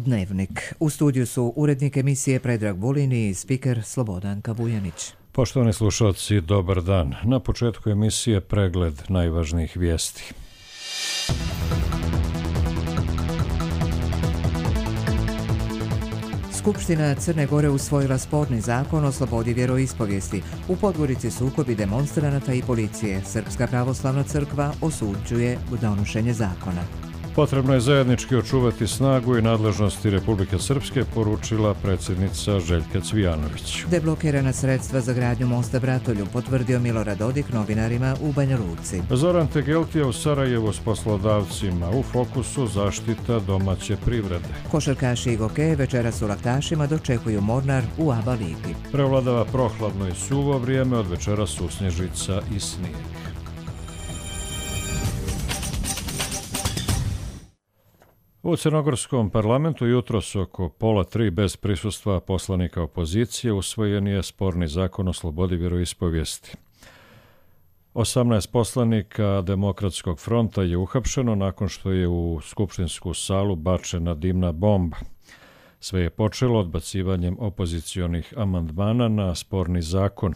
Dnevnik. U studiju su urednik emisije Predrag Vulin i spiker Slobodanka Vujanić. Poštovani slušalci, dobar dan. Na početku emisije pregled najvažnijih vijesti. Skupština Crne Gore usvojila sporni zakon o slobodi vjeroispovijesti. U Podgorici sukobi demonstranata i policije. Srpska pravoslavna crkva osuđuje donošenje zakona. Potrebno je zajednički očuvati snagu i nadležnosti Republike Srpske, poručila predsjednica Željka Cvijanović. Deblokirana sredstva za gradnju mosta Bratolju, potvrdio Milorad Dodik novinarima u Banja Luci. Zoran Tegeltija u Sarajevu s poslodavcima, u fokusu zaštita domaće privrede. Košarkaši i gokeji večeras u Laktašima dočekuju Mornar u ABA ligi. Prevladava prohladno i suvo vrijeme, od večeras usnježica i snijeg. U crnogorskom parlamentu jutros oko 2:30 bez prisustva poslanika opozicije usvojen je sporni zakon o slobodi vjeroispovijesti. 18 poslanika Demokratskog fronta je uhapšeno nakon što je u skupštinsku salu bačena dimna bomba. Sve je počelo odbacivanjem opozicionih amandmana na sporni zakon.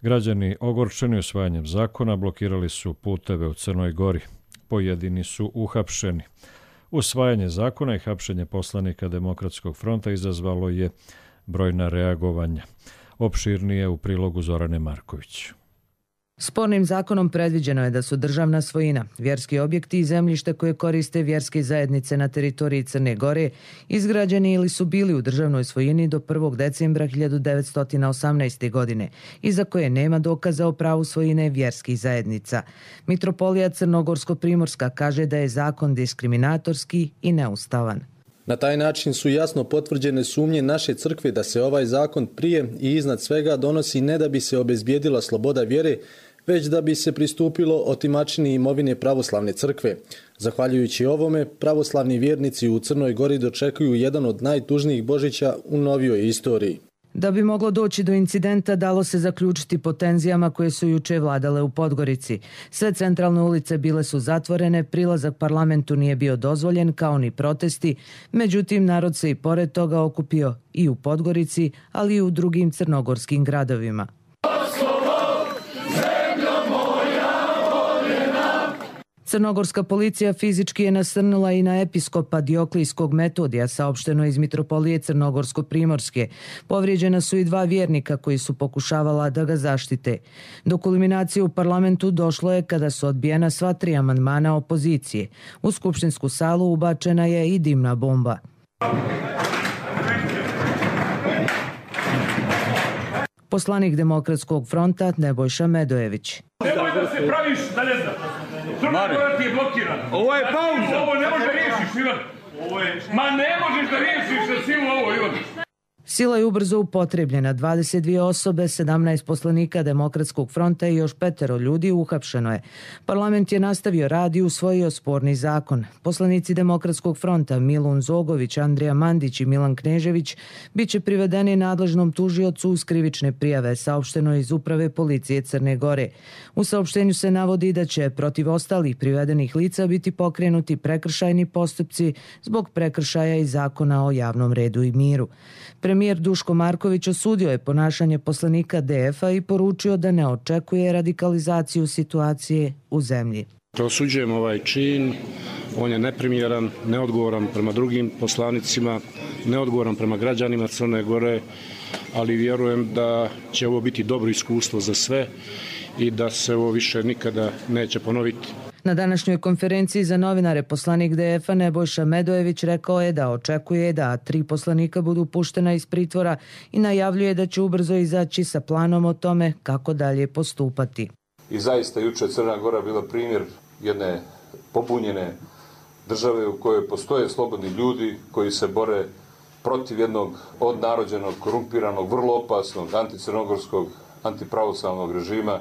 Građani ogorčeni usvajanjem zakona blokirali su puteve u Crnoj Gori. Pojedini su uhapšeni. Usvajanje zakona i hapšenje poslanika Demokratskog fronta izazvalo je brojna reagovanja. Opširnije u prilogu Zorane Marković. Spornim zakonom predviđeno je da su državna svojina, vjerski objekti i zemljište koje koriste vjerske zajednice na teritoriji Crne Gore izgrađeni ili su bili u državnoj svojini do 1. decembra 1918. godine i za koje nema dokaza o pravu svojine vjerskih zajednica. Mitropolija Crnogorsko-Primorska kaže da je zakon diskriminatorski i neustavan. Na taj način su jasno potvrđene sumnje naše crkve da se ovaj zakon prije i iznad svega donosi ne da bi se obezbijedila sloboda vjere, već da bi se pristupilo otimačini imovine pravoslavne crkve. Zahvaljujući ovome, pravoslavni vjernici u Crnoj Gori dočekuju jedan od najtužnijih Božića u novijoj istoriji. Da bi moglo doći do incidenta, dalo se zaključiti po tenzijama koje su juče vladale u Podgorici. Sve centralne ulice bile su zatvorene, prilazak parlamentu nije bio dozvoljen, kao ni protesti, međutim narod se i pored toga okupio i u Podgorici, ali i u drugim crnogorskim gradovima. Crnogorska policija fizički je nasrnula i na episkopa Dioklijskog Metodija, saopšteno iz Mitropolije Crnogorsko-Primorske. Povrijeđena su i 2 vjernika koji su pokušavala da ga zaštite. Do kulminacije u parlamentu došlo je kada su odbijena sva 3 amandmana opozicije. U skupštinsku salu ubačena je i dimna bomba. Poslanik Demokratskog fronta Nebojša Medojević. Nemoj da se praviš da ne znam. Crna Gora ti je blokirana. Ovo je pauza. Ovo ne može da riješiš, Ivan. Ma ne možeš da riješiš sa silu ovo, Ivan. Sila je ubrzo upotrebljena. 22 osobe, 17 poslanika Demokratskog fronta i još 5 ljudi uhapšeno je. Parlament je nastavio rad i usvojio sporni zakon. Poslanici Demokratskog fronta Milun Zogović, Andrija Mandić i Milan Knežević biće privedeni nadležnom tužiocu uz krivične prijave, saopšteno iz Uprave policije Crne Gore. U saopštenju se navodi da će protiv ostalih privedenih lica biti pokrenuti prekršajni postupci zbog prekršaja iz Zakona o javnom redu i miru. Premijer Duško Marković osudio je ponašanje poslanika DF-a i poručio da ne očekuje radikalizaciju situacije u zemlji. Osuđujem ovaj čin, on je neprimjeran, neodgovoran prema drugim poslanicima, neodgovoran prema građanima Crne Gore, ali vjerujem da će ovo biti dobro iskustvo za sve i da se ovo više nikada neće ponoviti. Na današnjoj konferenciji za novinare poslanik DF-a Nebojša Medojević rekao je da očekuje da 3 poslanika budu puštena iz pritvora i najavljuje da će ubrzo izaći sa planom o tome kako dalje postupati. I zaista juče Crna Gora bila primjer jedne pobunjene države u kojoj postoje slobodni ljudi koji se bore protiv jednog odnarođenog, korumpiranog, vrlo opasnog anticrnogorskog, antipravoslavnog režima.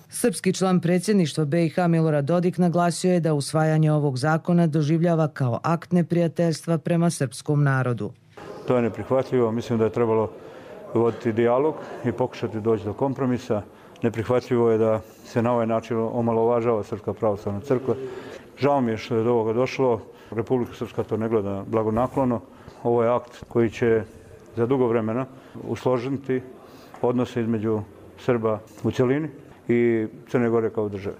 Srpski član predsjedništva BiH Milorad Dodik naglasio je da usvajanje ovog zakona doživljava kao akt neprijateljstva prema srpskom narodu. To je neprihvatljivo. Mislim da je trebalo voditi dijalog i pokušati doći do kompromisa. Neprihvatljivo je da se na ovaj način omalovažava Srpska pravoslavna crkva. Žao mi je što je do ovoga došlo. Republika Srpska to ne gleda blagonaklono. ovo je akt koji će za dugo vremena usložiti odnose između Srba u cjelini i Crne Gore kao države.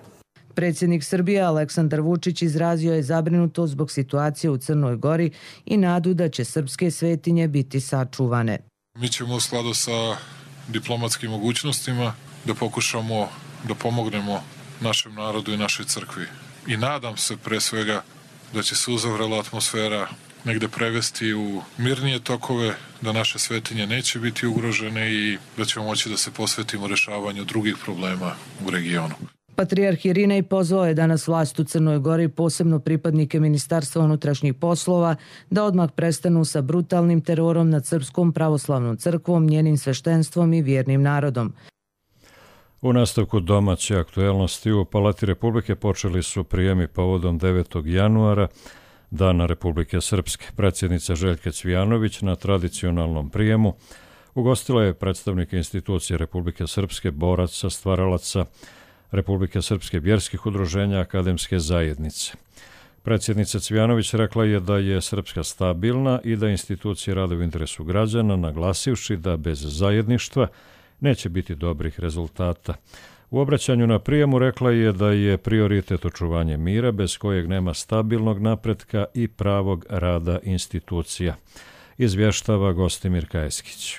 Predsjednik Srbije Aleksandar Vučić izrazio je zabrinutost zbog situacije u Crnoj Gori i nadu da će srpske svetinje biti sačuvane. Mi ćemo u skladu sa diplomatskim mogućnostima da pokušamo da pomognemo našem narodu i našoj crkvi. I nadam se pre svega da će se uzavrela atmosfera negde prevesti u mirnije tokove, da naše svetinje neće biti ugrožene i da ćemo moći da se posvetimo rešavanju drugih problema u regionu. Patrijarh Irinej pozvao je danas vlast u Crnoj Gori, posebno pripadnike Ministarstva unutrašnjih poslova, da odmah prestanu sa brutalnim terorom nad Srpskom pravoslavnom crkvom, njenim sveštenstvom i vjernim narodom. U nastavku domaće aktuelnosti u Palati Republike počeli su prijemi povodom 9. januara, Dana Republike Srpske. Predsjednica Željka Cvijanović na tradicionalnom prijemu ugostila je predstavnike institucije Republike Srpske, boraca, stvaralaca Republike Srpske, vjerskih udruženja, akademske zajednice. Predsjednica Cvijanović rekla je da je Srpska stabilna i da institucije rade u interesu građana, naglasivši da bez zajedništva neće biti dobrih rezultata. U obraćanju na prijemu rekla je da je prioritet očuvanje mira, bez kojeg nema stabilnog napretka i pravog rada institucija. Izvještava Gostimir Kajeskić.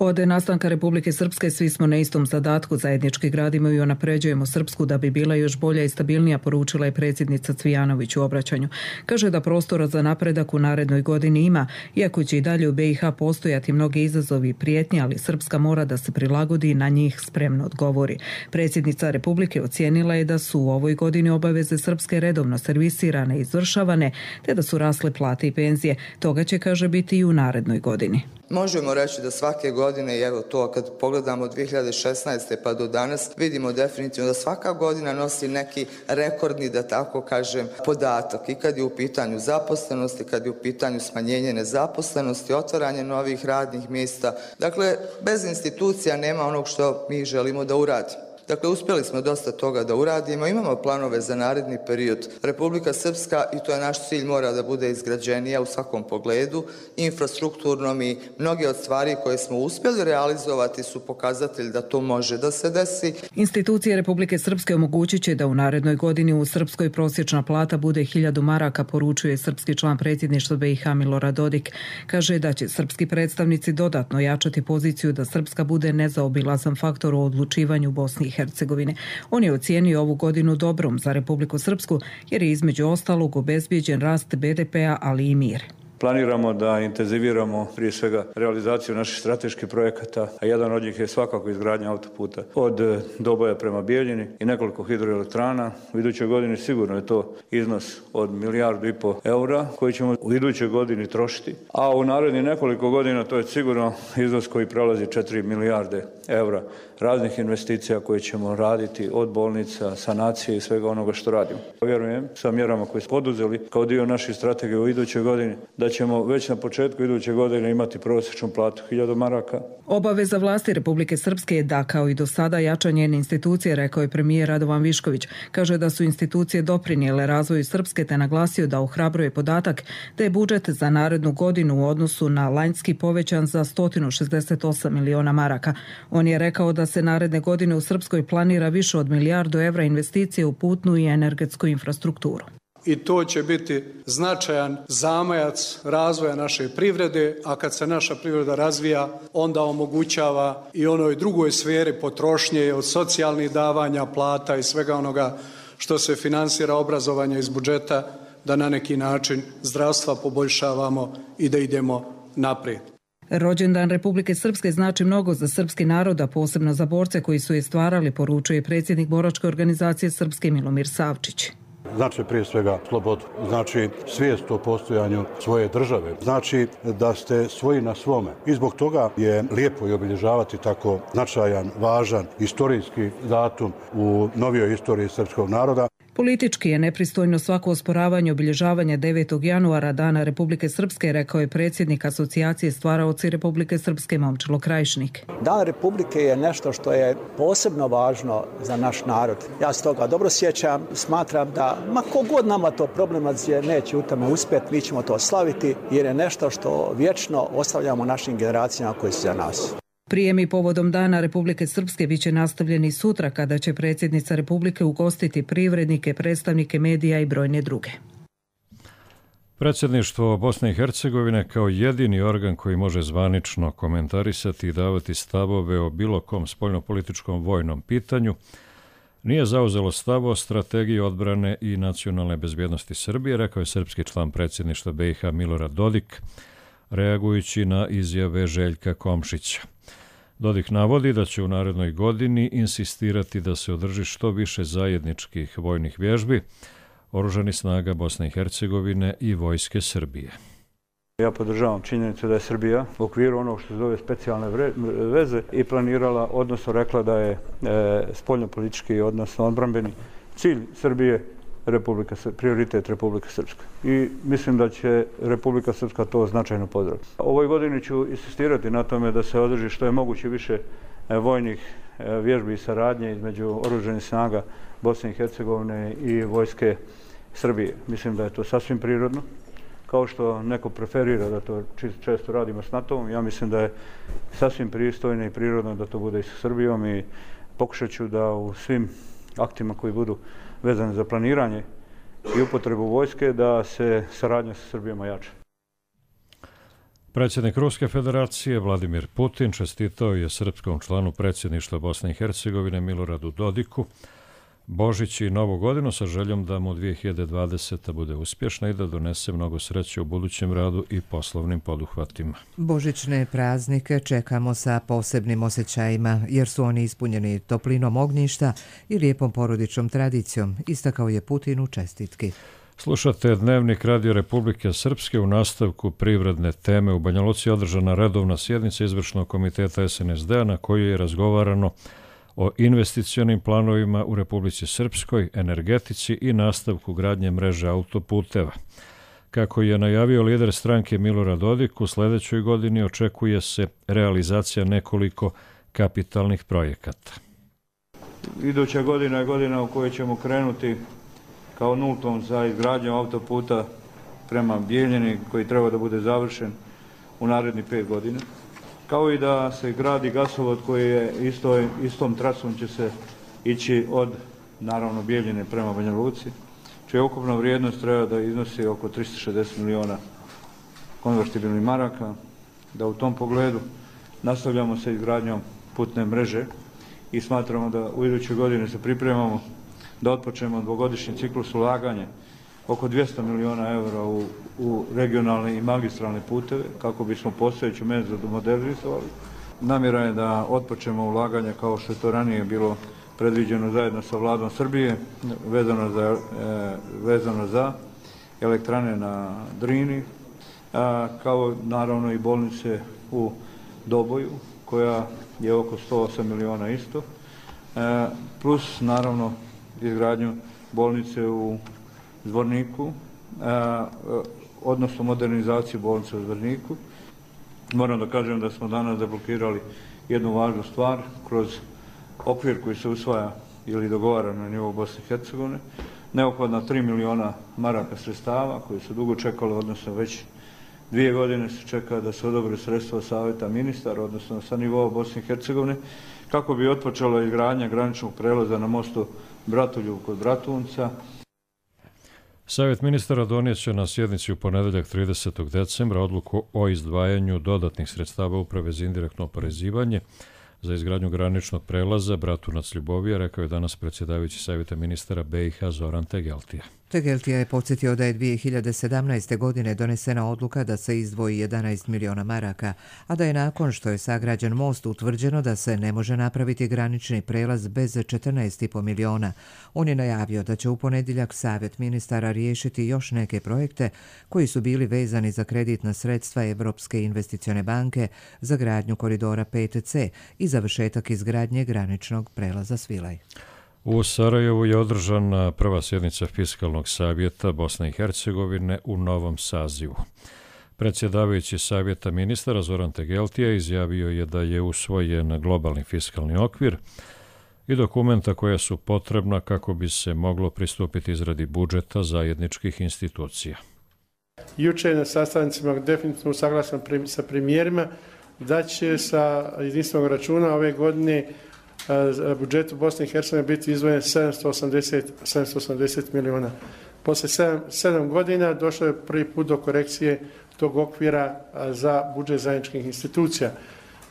Od nastanka Republike Srpske svi smo na istom zadatku, zajednički gradimo i unapređujemo Srpsku da bi bila još bolja i stabilnija, poručila je predsjednica Cvijanović u obraćanju. Kaže da prostora za napredak u narednoj godini ima, iako će i dalje u BiH postojati mnogi izazovi i prijetnje, ali Srpska mora da se prilagodi i na njih spremno odgovori. Predsjednica Republike ocijenila je da su u ovoj godini obaveze Srpske redovno servisirane i izvršavane, te da su rasle plate i penzije. Toga će, kaže, biti i u narednoj godini. Možemo reći da svake godine, i evo to kad pogledamo od 2016. pa do danas, vidimo definitivno da svaka godina nosi neki rekordni, da tako kažem, podatak. I kad je u pitanju zaposlenosti, kad je u pitanju smanjenje nezaposlenosti, otvaranje novih radnih mjesta. Dakle, bez institucija nema onog što mi želimo da uradimo. Dakle, uspjeli smo dosta toga da uradimo, imamo planove za naredni period. Republika Srpska, i to je naš cilj, mora da bude izgrađenija u svakom pogledu, infrastrukturnom, i mnoge od stvari koje smo uspjeli realizovati su pokazatelj da to može da se desi. Institucije Republike Srpske omogućit će da u narednoj godini u Srpskoj prosječna plata bude 1000 maraka, poručuje srpski član predsjedništva BiH Milorad Dodik. Kaže da će srpski predstavnici dodatno jačati poziciju da Srpska bude nezaobilazan faktor u odlučivanju Bosni i Hercegovine. On je ocijenio ovu godinu dobrom za Republiku Srpsku jer je između ostalog obezbijeđen rast BDP-a, ali i mir. Planiramo da intenziviramo prije svega realizaciju naših strateških projekata, a jedan od njih je svakako izgradnja autoputa od Doboja prema Bijeljini i nekoliko hidroelektrana. U idućoj godini sigurno je to iznos od 1,5 milijardu eura koji ćemo u idućoj godini trošiti, a u narednih nekoliko godina to je sigurno iznos koji prelazi 4 milijarde eura raznih investicija koje ćemo raditi od bolnica, sanacije i svega onoga što radimo. Vjerujem sa mjerama koje smo poduzeli kao dio naših strategije u idućoj godini da ćemo već na početku iduće godine imati prosječnu platu 1000 maraka. Obaveza vlasti Republike Srpske je da, kao i do sada, jača njene institucije, rekao je premijer Radovan Višković. Kaže da su institucije doprinijele razvoju Srpske, te naglasio da ohrabruje podatak da je budžet za narednu godinu u odnosu na lanjski povećan za 168 miliona maraka. On je rekao da se naredne godine u Srpskoj planira više od 1 milijardu evra investicije u putnu i energetsku infrastrukturu. I to će biti značajan zamajac razvoja naše privrede, a kad se naša privreda razvija, onda omogućava i onoj drugoj sferi potrošnje od socijalnih davanja, plata i svega onoga što se finansira obrazovanje iz budžeta, da na neki način zdravstva poboljšavamo i da idemo naprijed. Rođendan Republike Srpske znači mnogo za srpski narod, a posebno za borce koji su je stvarali, poručuje predsjednik boračke organizacije Srpske Milomir Savčić. Znači prije svega slobodu, znači svijest o postojanju svoje države, znači da ste svoji na svome. I zbog toga je lijepo i obilježavati tako značajan, važan, istorijski datum u novijoj istoriji srpskog naroda. Politički je nepristojno svako osporavanje obilježavanja 9. januara Dana Republike Srpske, rekao je predsjednik Asocijacije stvaraoci Republike Srpske Momčilo Krajišnik. Dan Republike je nešto što je posebno važno za naš narod. Ja se toga dobro sjećam, smatram da ma kogod nama to problematizuje neće u tome uspjeti, mi ćemo to slaviti jer je nešto što vječno ostavljamo našim generacijama koji su za nas. Prijemi povodom Dana Republike Srpske bit će nastavljeni sutra kada će predsjednica Republike ugostiti privrednike, predstavnike medija i brojne druge. Predsjedništvo Bosne i Hercegovine kao jedini organ koji može zvanično komentarisati i davati stavove o bilo kom spoljnopolitičkom vojnom pitanju nije zauzelo stav o strategiji odbrane i nacionalne bezbjednosti Srbije, rekao je srpski član predsjedništva BiH Milorad Dodik, reagujući na izjave Željka Komšića. Dodik navodi da će u narednoj godini insistirati da se održi što više zajedničkih vojnih vježbi oružanih snaga Bosne i Hercegovine i vojske Srbije. Ja podržavam činjenicu da je Srbija u okviru onog što se zove specijalne veze i planirala, odnosno rekla da je spoljnopolitički, odnosno odbrambeni cilj Srbije prioritet Republike Srpske. I mislim da će Republika Srpska to značajno pozdraviti. Ovoj godini ću insistirati na tome da se održi što je moguće više vojnih vježbi i saradnje između oružanih snaga Bosne i Hercegovine i vojske Srbije. Mislim da je to sasvim prirodno. Kao što neko preferira da to često radimo s NATO-om, ja mislim da je sasvim pristojno i prirodno da to bude i sa Srbijom i pokušat ću da u svim aktima koji budu vezani za planiranje i upotrebu vojske da se saradnja sa Srbijom ojača. Predsjednik Ruske federacije Vladimir Putin čestitao je srpskom članu predsjedništva Bosne i Hercegovine Miloradu Dodiku Božić i Novu godinu sa željom da mu 2020. bude uspješna i da donese mnogo sreće u budućem radu i poslovnim poduhvatima. Božićne praznike čekamo sa posebnim osjećajima jer su oni ispunjeni toplinom ognjišta i lijepom porodičnom tradicijom, istakao je Putin u čestitki. Slušate Dnevnik Radio Republike Srpske. U nastavku privredne teme u Banja Luci održana redovna sjednica izvršnog komiteta SNSD-a na kojoj je razgovarano o investicionim planovima u Republici Srpskoj, energetici i nastavku gradnje mreže autoputeva. Kako je najavio lider stranke Milorad Dodik, u sljedećoj godini očekuje se realizacija nekoliko kapitalnih projekata. Iduća godina je godina u kojoj ćemo krenuti kao nultom za izgradnju autoputa prema Bijeljini koji treba da bude završen u narednih 5 godina. Kao i da se gradi gasovod koji je istom trasom će se ići od, naravno, Bijeljine prema Banja Luci, čija ukupna vrijednost treba da iznosi oko 360 miliona konvertibilnih maraka, da u tom pogledu nastavljamo sa izgradnjom putne mreže i smatramo da u idućoj godini se pripremamo da otpočnemo dvogodišnji ciklus ulaganja oko 200 miliona eura u regionalne i magistralne puteve kako bismo postojeću mrežu modernizovali. Namjera je da otpočnemo ulaganja kao što je to ranije bilo predviđeno zajedno sa vladom Srbije vezano za elektrane na Drini, kao naravno i bolnice u Doboju koja je oko 108 miliona isto, plus naravno izgradnju bolnice u Zvorniku, odnosno modernizaciju bolnice u Zvorniku. Moram da kažem da smo danas deblokirali jednu važnu stvar kroz okvir koji se usvaja ili dogovara na nivou Bosne i Hercegovine. Neophodna 3 miliona maraka sredstava koji su dugo čekali, odnosno već 2 godine se čeka da se odobre sredstva Savjeta ministara, odnosno sa nivoa Bosne i Hercegovine, kako bi otpočela izgradnja graničnog prelaza na mostu Bratoljub kod Bratunca. Savjet ministara donijet će na sjednici u ponedeljak 30. decembra odluku o izdvajanju dodatnih sredstava Uprave za indirektno oporezivanje za izgradnju graničnog prelaza Bratunac-Ljubovija, rekao je danas predsjedavajući Savjeta ministara BiH Zoran Tegeltija. Tegeltija je podsjetio da je 2017. godine donesena odluka da se izdvoji 11 miliona maraka, a da je nakon što je sagrađen most utvrđeno da se ne može napraviti granični prelaz bez 14,5 miliona. On je najavio da će u ponedjeljak Savjet ministara riješiti još neke projekte koji su bili vezani za kreditna sredstva Evropske investicione banke za gradnju koridora 5C i završetak izgradnje graničnog prelaza Svilaj. U Sarajevu je održana prva sjednica Fiskalnog savjeta Bosne i Hercegovine u novom sazivu. Predsjedavajući savjeta ministara Zoran Tegeltija izjavio je da je usvojen globalni fiskalni okvir i dokumenta koja su potrebna kako bi se moglo pristupiti izradi budžeta zajedničkih institucija. Juče na sastancima definitivno usaglašen sa premijerima da će sa jedinstvenog računa ove godine budžetu Bosne i Hercegovine biti izdvojen 780 milijuna. Poslije 7 godina došlo je prvi put do korekcije tog okvira za budžet zajedničkih institucija.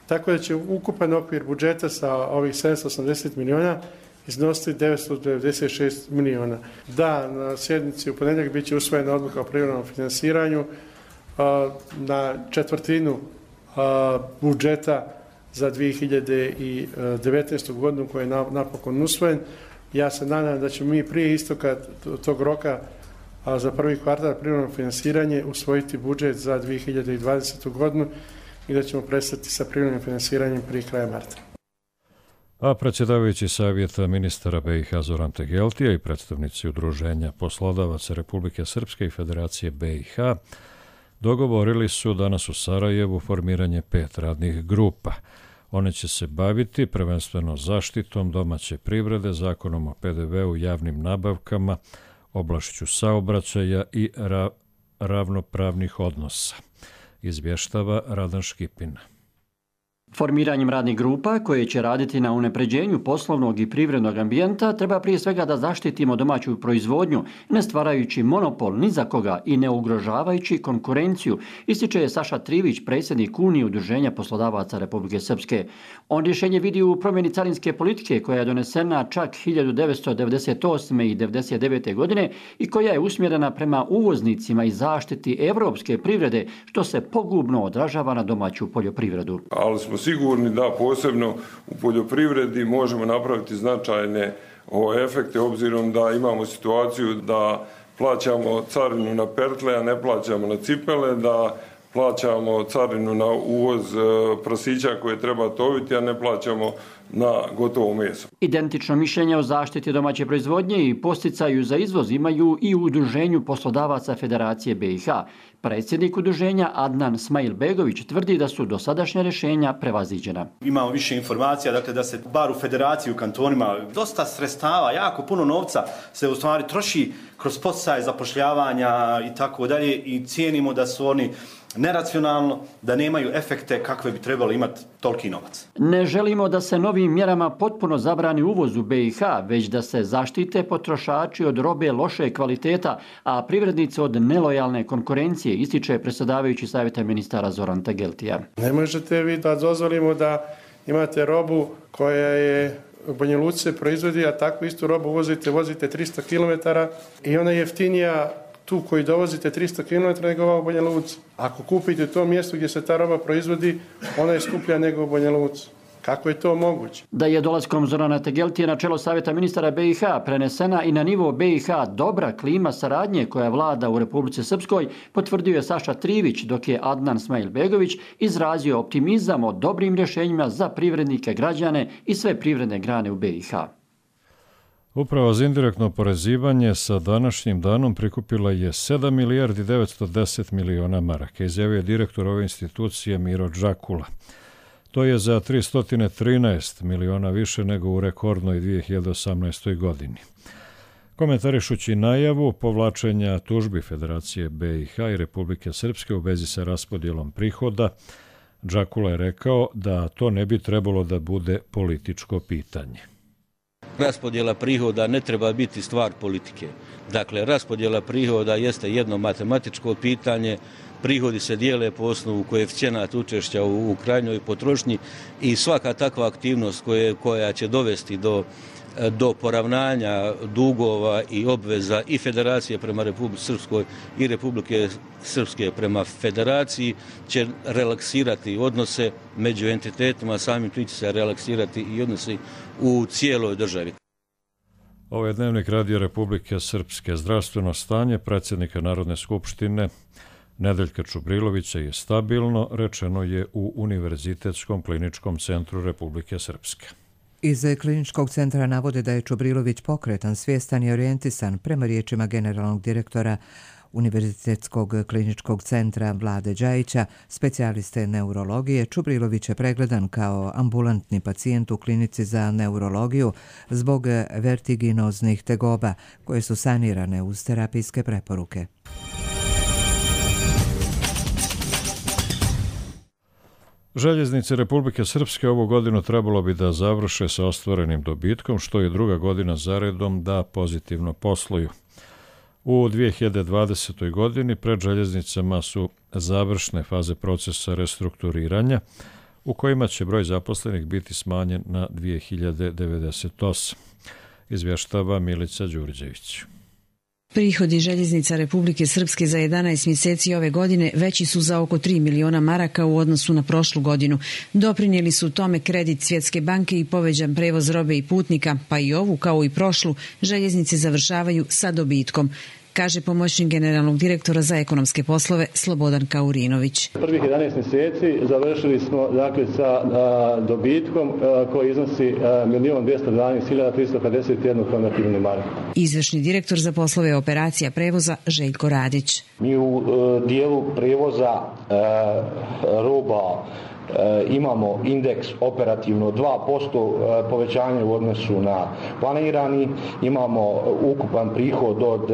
Tako da će ukupan okvir budžeta sa ovih 780 milijuna iznositi 996 milijuna. Da, na sjednici u ponedjeljak bit će usvojena odluka o privremenom finansiranju na četvrtinu budžeta za 2019. godinu koji je napokon usvojen. Ja se nadam da ćemo mi prije istoka tog roka za prvi kvartal privremeno finansiranje usvojiti budžet za 2020. godinu i da ćemo prestati sa privremenim finansiranjem prije kraja marta. A predsjedavajući savjeta ministara BiH Zoran Tegeltija i predstavnici Udruženja poslodavaca Republike Srpske i Federacije BiH dogovorili su danas u Sarajevu formiranje 5 radnih grupa. One će se baviti prvenstveno zaštitom domaće privrede, zakonom o PDV-u, javnim nabavkama, oblašću saobraćaja i ravnopravnih odnosa, izvještava Radan Škipin. Formiranjem radnih grupa koje će raditi na unapređenju poslovnog i privrednog ambijenta treba prije svega da zaštitimo domaću proizvodnju, ne stvarajući monopol ni za koga i ne ugrožavajući konkurenciju, ističe Saša Trivić, predsjednik Unije Udruženja poslodavaca Republike Srpske. On rješenje vidi u promjeni carinske politike koja je donesena čak 1998. i 1999. godine i koja je usmjerena prema uvoznicima i zaštiti evropske privrede, što se pogubno odražava na domaću poljoprivredu. Ali smo sigurni da posebno u poljoprivredi možemo napraviti značajne efekte obzirom da imamo situaciju da plaćamo carinu na pertle, a ne plaćamo na cipele, da plaćamo carinu na uvoz prasića koje treba toviti, a ne plaćamo na gotovo meso. Identično mišljenje o zaštiti domaće proizvodnje i posticaju za izvoz imaju i u Udruženju poslodavaca Federacije BiH. Predsjednik udruženja Adnan Smailbegović tvrdi da su dosadašnja rješenja prevaziđena. Imamo više informacija, dakle da se bar u federaciji, u kantonima, dosta sredstava, jako puno novca se u stvari troši kroz poticaje zapošljavanja i tako dalje i cijenimo da su oni neracionalno, da nemaju efekte kakve bi trebalo imati toliki novac. Ne želimo da se novim mjerama potpuno zabrani uvoz u BiH, već da se zaštite potrošači od robe loše kvaliteta, a privrednici od nelojalne konkurencije, ističe predsjedavajući savjeta ministara Zoran Tegeltija. Ne možete vi da dozvolimo da imate robu koja je u Banja Luci se proizvodi, a takvu istu robu vozite 300 km i ona je jeftinija tu koji dovozite 300 km nego ova u Banja Luci. Ako kupite to mjesto gdje se ta roba proizvodi, ona je skuplja nego u Banja Luci. Kako je to moguće? Da je dolaskom Zorana Tegeltije na čelo savjeta ministara BiH prenesena i na nivo BiH dobra klima saradnje koja vlada u Republici Srpskoj, potvrdio je Saša Trivić, dok je Adnan Smailbegović izrazio optimizam o dobrim rješenjima za privrednike, građane i sve privredne grane u BiH. Uprava za indirektno oporezivanje sa današnjim danom prikupila je 7 milijardi 910 miliona maraka, izjavio je direktor ove institucije Miro Džakula. To je za 313 miliona više nego u rekordnoj 2018. godini. Komentarišući najavu povlačenja tužbi Federacije BiH i Republike Srpske u vezi sa raspodjelom prihoda, Džakula je rekao da to ne bi trebalo da bude političko pitanje. Raspodjela prihoda ne treba biti stvar politike. Dakle, raspodjela prihoda jeste jedno matematičko pitanje. Prihodi se dijele po osnovu koeficijenata učešća u krajnjoj potrošnji i svaka takva aktivnost koja će dovesti do poravnanja dugova i obveza i Federacije prema Republike Srpskoj i Republike Srpske prema Federaciji će relaksirati odnose među entitetima, samim tim će se relaksirati i odnosi u cijeloj državi. Ovo je Dnevnik Radio Republike Srpske. Zdravstveno stanje predsjednika Narodne skupštine Nedeljka Čubrilovića je stabilno, rečeno je u Univerzitetskom kliničkom centru Republike Srpske. Iz kliničkog centra navode da je Čubrilović pokretan, svjestan i orijentisan. Prema riječima generalnog direktora Univerzitetskog kliničkog centra Vlade Đajića, specijaliste neurologije, Čubrilović je pregledan kao ambulantni pacijent u klinici za neurologiju zbog vertiginoznih tegoba koje su sanirane uz terapijske preporuke. Željeznice Republike Srpske ovu godinu trebalo bi da završe sa ostvarenim dobitkom, što je druga godina zaredom da pozitivno posluju. U 2020. godini pred željeznicama su završne faze procesa restrukturiranja, u kojima će broj zaposlenih biti smanjen na 2098, izvještava Milica Đurđević. Prihodi željeznica Republike Srpske za 11 mjeseci ove godine veći su za oko 3 miliona maraka u odnosu na prošlu godinu. Doprinijeli su tome kredit Svjetske banke i povećan prevoz robe i putnika, pa i ovu, kao i prošlu, željeznice završavaju sa dobitkom, kaže pomoćnik generalnog direktora za ekonomske poslove Slobodan Kaurinović. Prvih 11 mjeseci završili smo sa dobitkom koji iznosi 1.212.351 konvertibilni maraka. Izvršni direktor za poslove operacija prevoza Željko Radić. Mi u dijelu prevoza roba imamo indeks operativno 2% povećanje u odnosu na planirani, imamo ukupan prihod od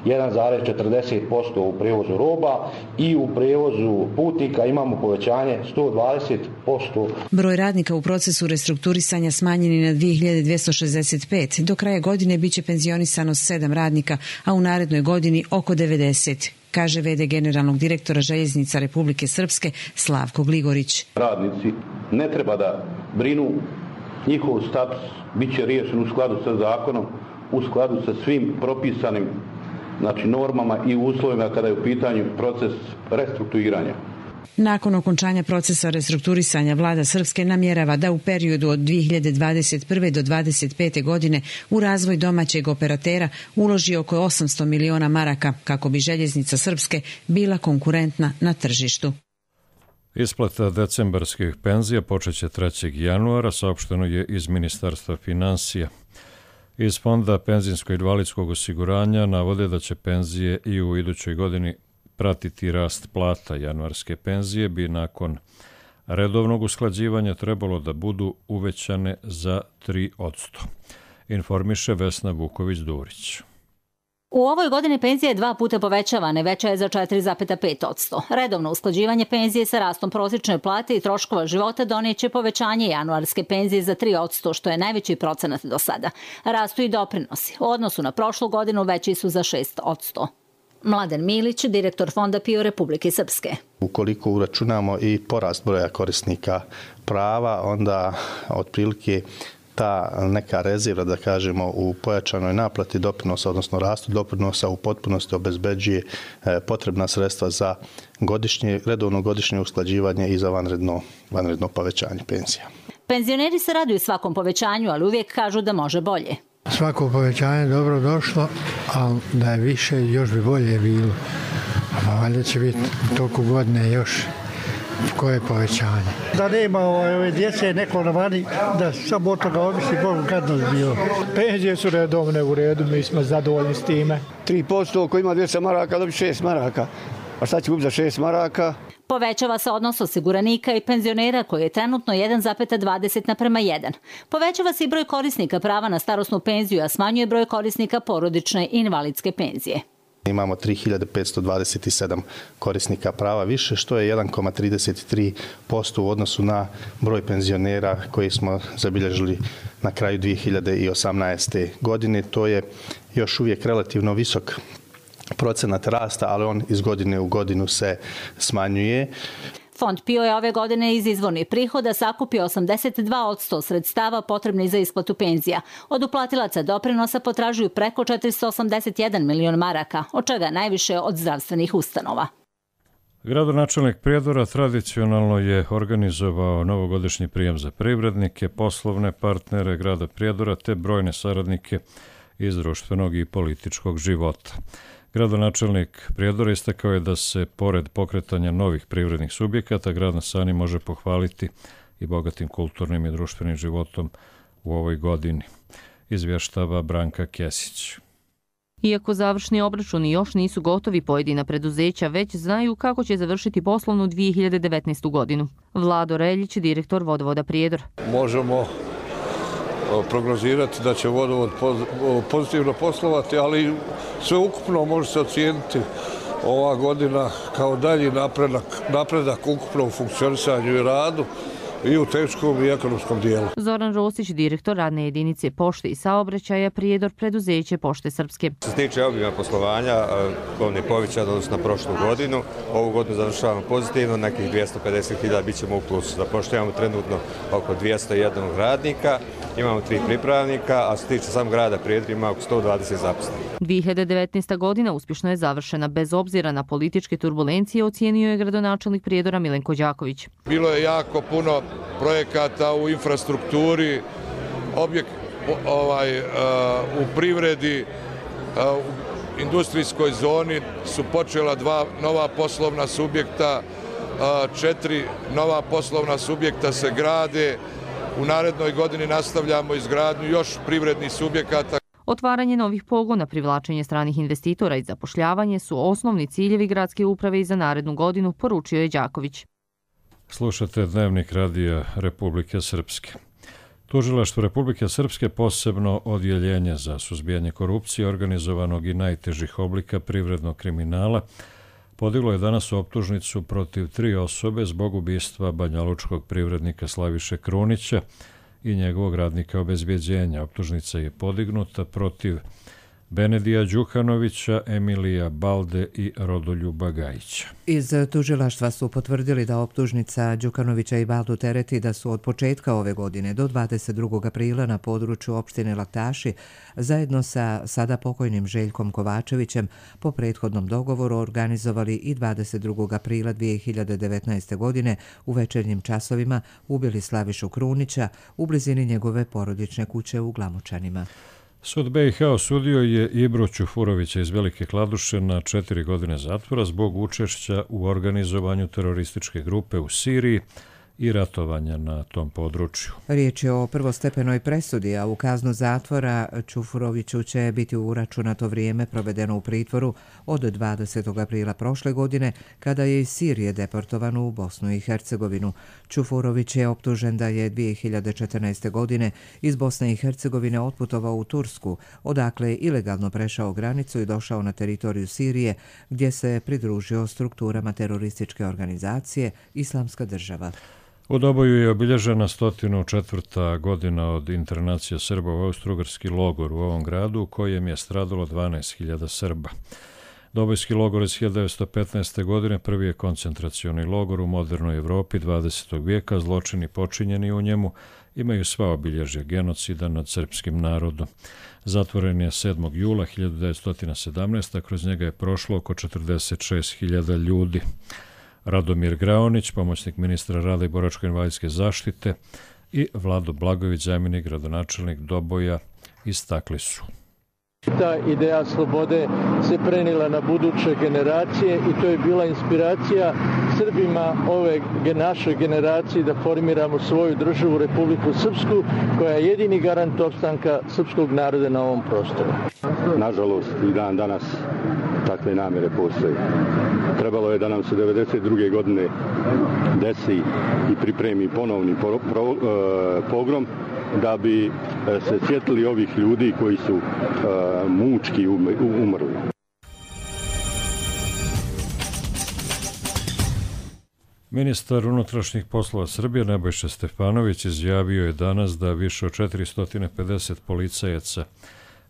1,40% u prevozu roba i u prevozu putnika imamo povećanje 120%. Broj radnika u procesu restrukturisanja smanjen je na 2265. Do kraja godine biće penzionisano 7 radnika, a u narednoj godini oko 90. kaže v.d. generalnog direktora željeznica Republike Srpske Slavko Gligorić. Radnici ne treba da brinu, njihov status bit će riješen u skladu sa zakonom, u skladu sa svim propisanim normama i uslovima kada je u pitanju proces restrukturiranja. Nakon okončanja procesa restrukturisanja, vlada Srpske namjerava da u periodu od 2021. do 2025. godine u razvoj domaćeg operatera uloži oko 800 miliona maraka kako bi željeznica Srpske bila konkurentna na tržištu. Isplata decembarskih penzija počeće 3. januara, saopšteno je iz Ministarstva finansija. Iz Fonda penzijsko-invalidskog osiguranja navode da će penzije i u idućoj godini pratiti rast plata. Januarske penzije bi nakon redovnog usklađivanja trebalo da budu uvećane za 3%, informiše Vesna Vuković-Durić. U ovoj godini penzija je 2 puta povećavana, veća je za 4,5%. Redovno usklađivanje penzije sa rastom prosječne plate i troškova života donijeće povećanje januarske penzije za 3%, što je najveći procenat do sada. Rastu i doprinosi. U odnosu na prošlu godinu veći su za 6%. Mladen Milić, direktor Fonda PIO Republike Srpske. Ukoliko uračunamo i porast broja korisnika prava, onda otprilike ta neka rezerva, da kažemo, u pojačanoj naplati doprinosa, odnosno rastu doprinosa u potpunosti obezbeđuje potrebna sredstva za redovno godišnje usklađivanje i za vanredno povećanje penzija. Penzioneri se raduju svakom povećanju, ali uvijek kažu da može bolje. Svako povećanje je dobro došlo, ali da je više, još bi bolje bilo. A valjda će biti toliko godine još koje povećanje. Da nema ove djece neko na vani, da samo od toga ovisi Bogu kad nas bio. Penzije su redovne u redu, mi smo zadovoljni s time. 3% ko ima 200 maraka, dobi 6 maraka. A šta će kupiti za 6 maraka? Povećava se odnos osiguranika i penzionera koji je trenutno 1,20:1. Povećava se i broj korisnika prava na starosnu penziju, a smanjuje broj korisnika porodične i invalidske penzije. Imamo 3527 korisnika prava više, što je 1,33% u odnosu na broj penzionera koji smo zabilježili na kraju 2018. godine. To je još uvijek relativno visok procenat rasta, ali on iz godine u godinu se smanjuje. Fond PIO je ove godine iz izvornih prihoda sakupio 82% sredstava potrebnih za isplatu penzija. Od uplatilaca doprinosa potražuju preko 481 milion maraka, od čega najviše od zdravstvenih ustanova. Gradonačelnik Prijedora tradicionalno je organizovao novogodišnji prijem za privrednike, poslovne partnere grada Prijedora te brojne saradnike iz društvenog i političkog života. Gradonačelnik Prijedora istakao je da se, pored pokretanja novih privrednih subjekata, grad na Sani može pohvaliti i bogatim kulturnim i društvenim životom u ovoj godini, izvještava Branka Kesić. Iako završni obračuni još nisu gotovi, pojedina preduzeća već znaju kako će završiti poslovnu 2019. godinu. Vlado Reljić, direktor Vodovoda Prijedor. Možemo prognozirati da će vodovod pozitivno poslovati, ali sve ukupno može se ocijeniti ova godina kao dalji napredak ukupno u funkcionisanju i radu i u teškom i ekonomskom dijelu. Zoran Rosić, direktor radne jedinice pošte i saobraćaja Prijedor, preduzeće Pošte Srpske. Što se tiče obima poslovanja, on je povećan odnosno na prošlu godinu. Ovu godinu završavamo pozitivno, nekih 250.000 bit ćemo u plusu. Zapošljavamo trenutno oko 201 radnika, imamo 3 pripravnika, a što se tiče samog grada Prijedor ima oko 120 zaposlenih. 2019. godina uspješno je završena bez obzira na političke turbulencije, ocijenio je gradonačelnik Prijedora Milenko Đaković. Bilo je jako puno projekata u infrastrukturi, u privredi, u industrijskoj zoni su počela 2 nova poslovna subjekta, 4 nova poslovna subjekta se grade. U narednoj godini nastavljamo izgradnju još privrednih subjekata. Otvaranje novih pogona, privlačenje stranih investitora i zapošljavanje su osnovni ciljevi gradske uprave i za narednu godinu, poručio je Đaković. Slušate Dnevnik radija Republike Srpske. Tužilaštvo Republike Srpske, posebno odjeljenje za suzbijanje korupcije, organizovanog i najtežih oblika privrednog kriminala, podiglo je danas optužnicu protiv 3 osobe zbog ubistva banjalučkog privrednika Slaviše Krunića i njegovog radnika obezbjeđenja. Optužnica je podignuta protiv Benedija Đukanovića, Emilija Balde i Rodoljuba Gajića. Iz tužilaštva su potvrdili da optužnica Đukanovića i Baldu tereti da su od početka ove godine do 22. aprila na području opštine Laktaši zajedno sa sada pokojnim Željkom Kovačevićem po prethodnom dogovoru organizovali i 22. aprila 2019. godine u večernjim časovima ubili Slavišu Krunića u blizini njegove porodične kuće u Glamočanima. Sud BiH osudio je Ibru Ćufurovića iz Velike Kladuše na 4 godine zatvora zbog učešća u organizovanju terorističke grupe u Siriji i ratovanja na tom području. Riječ je o prvostepenoj presudi, a u kaznu zatvora Ćufuroviću će biti uračunato vrijeme provedeno u pritvoru od 20. aprila prošle godine, kada je iz Sirije deportovan u Bosnu i Hercegovinu. Ćufurović je optužen da je 2014. godine iz Bosne i Hercegovine otputovao u Tursku, odakle je ilegalno prešao granicu i došao na teritoriju Sirije, gdje se pridružio strukturama terorističke organizacije Islamska država. U Doboju je obilježena 104. godina od internacije Srba u austro-ugarski logor u ovom gradu, u kojem je stradalo 12.000 Srba. Dobojski logor iz 1915. godine prvi je koncentracioni logor u modernoj Evropi 20. vijeka. Zločini počinjeni u njemu imaju sva obilježja genocida nad srpskim narodom. Zatvoren je 7. jula 1917. Kroz njega je prošlo oko 46.000 ljudi. Radomir Graonić, pomoćnik ministra rada i boračko-invalidske zaštite, i Vlado Blagojević, zamjenik gradonačelnik Doboja, istakli su. Ta ideja slobode se prenijela na buduće generacije i to je bila inspiracija Srbima ove naše generacije da formiramo svoju državu Republiku Srpsku, koja je jedini garant opstanka srpskog naroda na ovom prostoru. Nažalost, i dan danas takve namjere postoje. Trebalo je da nam se 1992. godine desi i pripremi ponovni pogrom da bi se sjetili ovih ljudi koji su mučki umrli. Ministar unutrašnjih poslova Srbije Nebojša Stefanović izjavio je danas da više od 450 policajaca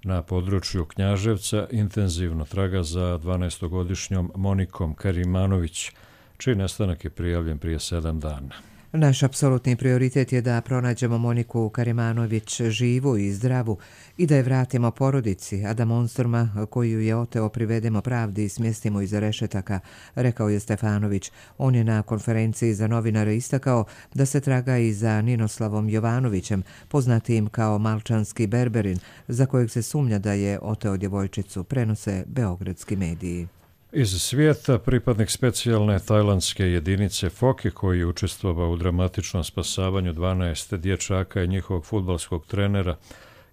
na području Knjaževca intenzivno traga za 12-godišnjom Monikom Karimanović, čiji nestanak je prijavljen prije 7 dana. Naš apsolutni prioritet je da pronađemo Moniku Karimanović živu i zdravu i da je vratimo porodici, a da monstruma koju je oteo privedemo pravdi i smjestimo iza rešetaka, rekao je Stefanović. On je na konferenciji za novinare istakao da se traga i za Ninoslavom Jovanovićem, poznatijim kao Malčanski Berberin, za kojeg se sumnja da je oteo djevojčicu, prenose beogradski mediji. Iz svijeta pripadnik specijalne tajlandske jedinice Foke koji je učestvovao u dramatičnom spasavanju 12 dječaka i njihovog fudbalskog trenera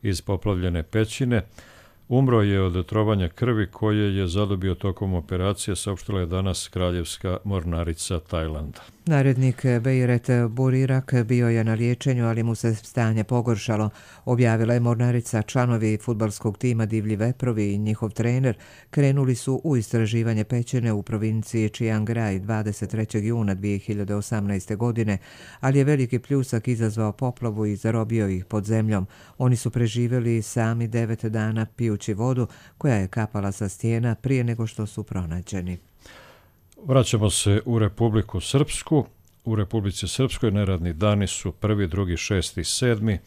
iz poplavljene pećine, umro je od otrovanja krvi koje je zadobio tokom operacije, saopštila je danas Kraljevska mornarica Tajlanda. Narednik Beiret Burirak bio je na liječenju, ali mu se stanje pogoršalo, objavila je mornarica. Članovi fudbalskog tima Divlji veprovi i njihov trener krenuli su u istraživanje pećine u provinciji Chiang Rai 23. juna 2018. godine, ali je veliki pljusak izazvao poplavu i zarobio ih pod zemljom. Oni su preživjeli sami 9 dana pijući vodu koja je kapala sa stijena prije nego što su pronađeni. Vraćamo se u Republiku Srpsku. U Republici Srpskoj neradni dani su 1., 2., 6., 7.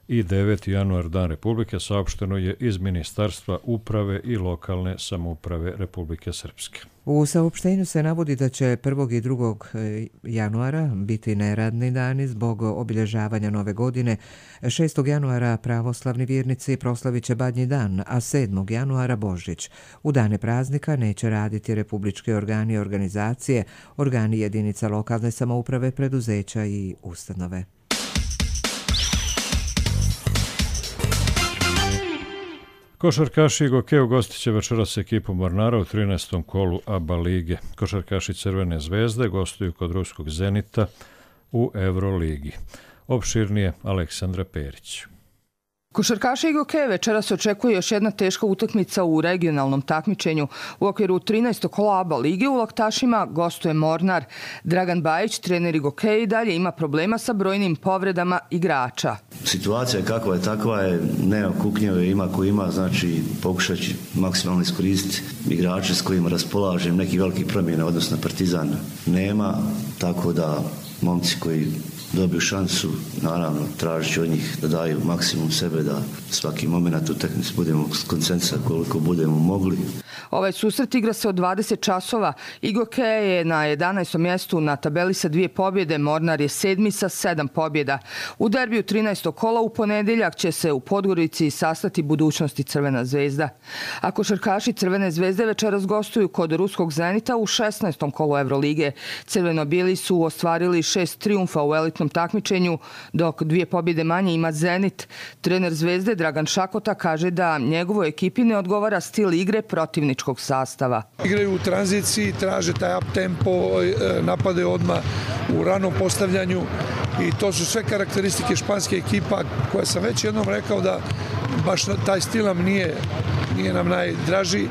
i 9. januar, Dan Republike, saopšteno je iz Ministarstva uprave i lokalne samouprave Republike Srpske. U saopštenju se navodi da će 1. i 2. januara biti neradni dani zbog obilježavanja Nove godine. 6. januara pravoslavni vjernici proslavit će Badnji dan, a 7. januara Božić. U dane praznika neće raditi republički organi i organizacije, organi jedinica lokalne samouprave, preduzeća i ustanove. Košarkaši Goke ugostit će večeras ekipu Mornara u 13. kolu ABA lige. Košarkaši Crvene zvezde gostuju kod ruskog Zenita u Euroligi. Opširnije Aleksandra Perić. Košarkaši Goke večeras očekuje još jedna teška utakmica u regionalnom takmičenju. U okviru 13. kola ABA lige u Laktašima gostuje Mornar. Dragan Bajić, trener Goke, i dalje ima problema sa brojnim povredama igrača. Situacija kakva je, takva je, nema kuknjeve, ima ko ima, znači pokušat ću maksimalno iskoristiti igrače s kojima raspolažem. Nekih velikih promjena odnosno Partizan nema, tako da momci koji dobiju šansu, naravno tražit ću od njih da daju maksimum sebe, da svaki moment utakmice budemo skoncentrirani koliko budemo mogli. Ovaj susret igra se od 20 časova. Goke je na 11. mjestu na tabeli sa 2 pobjede, Mornar je 7. sa 7 pobjeda. U derbiju 13. kola u ponedjeljak će se u Podgorici sastati budućnosti Crvena zvezda. A košarkaši Crvene zvezde večeras gostuju kod ruskog Zenita u 16. kolu Evrolige. Crveno-bijeli su ostvarili 6 trijumfa u elitnom takmičenju, dok 2 pobjede manje ima Zenit. Trener Zvezde Dragan Šakota kaže da njegovoj ekipi ne odgovara stil igre protivničkog sastava. Igraju u tranziciji, traže taj up tempo, napade odmah u ranom postavljanju i to su sve karakteristike španske ekipa koja sam već jednom rekao da baš taj stil nam nije nam najdraži.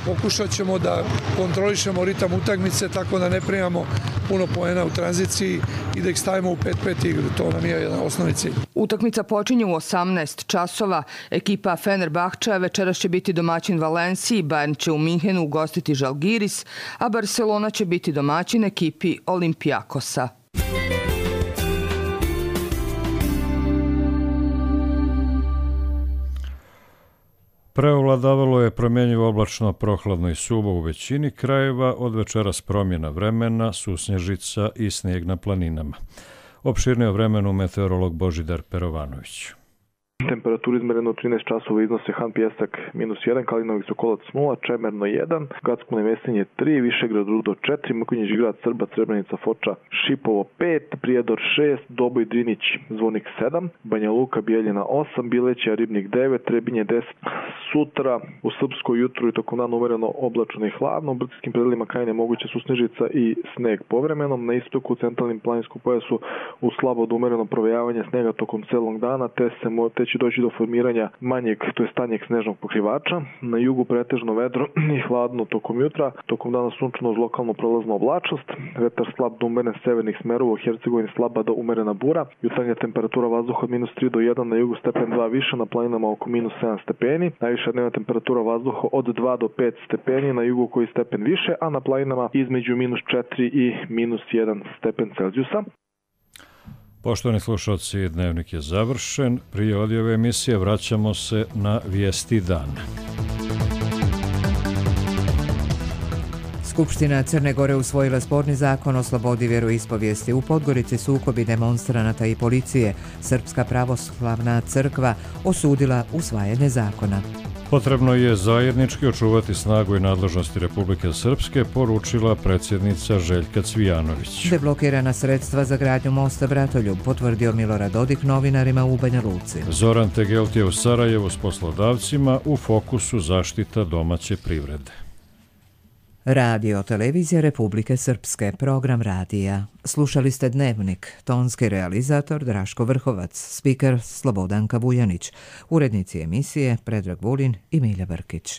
Pokušat ćemo da kontrolišemo ritam utakmice tako da ne primamo puno poena u tranziciji i da ih stavimo u 5-5 igru. To nam je jedan osnovni cilj. Utakmica počinje u 18 časova. Ekipa Fenerbahča večeras će biti domaćin Valenciji, Bayern će u Minhenu ugostiti Žalgiris, a Barcelona će biti domaćin ekipi Olimpijakosa. Preovladavalo je promjenjivo oblačno, prohladno i suvo u većini krajeva, od večeras promjena vremena, susnježica i snijeg na planinama. Opširnije o vremenu meteorolog Božidar Perovanović. Temperatura izmerena u 13 časova iznose Han Pijesak -1, Kalinović Sokolac 0, Čemerno 1, Gacko Nevesinje 3, Višegrad Rudo 4, Mrkonjić Grad Srba, Srebrenica Foča, Šipovo 5, Prijedor 6, Doboj Drinić Zvonik 7, Banja Luka Bijeljina 8, Bileća Ribnik 9, Trebinje 10. Sutra u Srpskoj jutru i tokom dana umereno oblačno i hladno, u brdskim predelima Krajine moguće susnežica i sneg povremenom, na istoku u centralnim planinskom pojasu u slabo do umereno provejavanje snega tokom celog dana, te će doći do formiranja manjeg, to je tanjeg snežnog pokrivača. Na jugu pretežno vedro i hladno tokom jutra, tokom dana sunčano uz lokalno prolazna oblačnost, vetar slab do umeren severnih smerova, u Hercegovini slaba do umerena bura, jutarnja temperatura vazduha od -3 do 1, na jugu stepen 2 više, na planinama oko -7 stepeni, najviša dnevna temperatura vazduha od 2 do 5 stepeni, na jugu koji stepen više, a na planinama između -4 i -1 stepen Celzijusa. Poštovani slušalci, dnevnik je završen. Prije odjave emisije vraćamo se na vijesti dana. Skupština Crne Gore usvojila sporni zakon o slobodi vjeroispovijesti. U Podgorici sukobi demonstranata i policije. Srpska pravoslavna crkva osudila usvajanje zakona. Potrebno je zajednički očuvati snagu i nadležnosti Republike Srpske, poručila predsjednica Željka Cvijanović. Deblokirana sredstva za gradnju mosta Bratoljub, potvrdio Milorad Dodik novinarima u Banja Luci. Zoran Tegelt je u Sarajevu s poslodavcima, u fokusu zaštita domaće privrede. Radio televizija Republike Srpske, program radija. Slušali ste Dnevnik, tonski realizator Draško Vrhovac, spiker Slobodanka Vujanić, urednici emisije Predrag Vulin i Milja Brkić.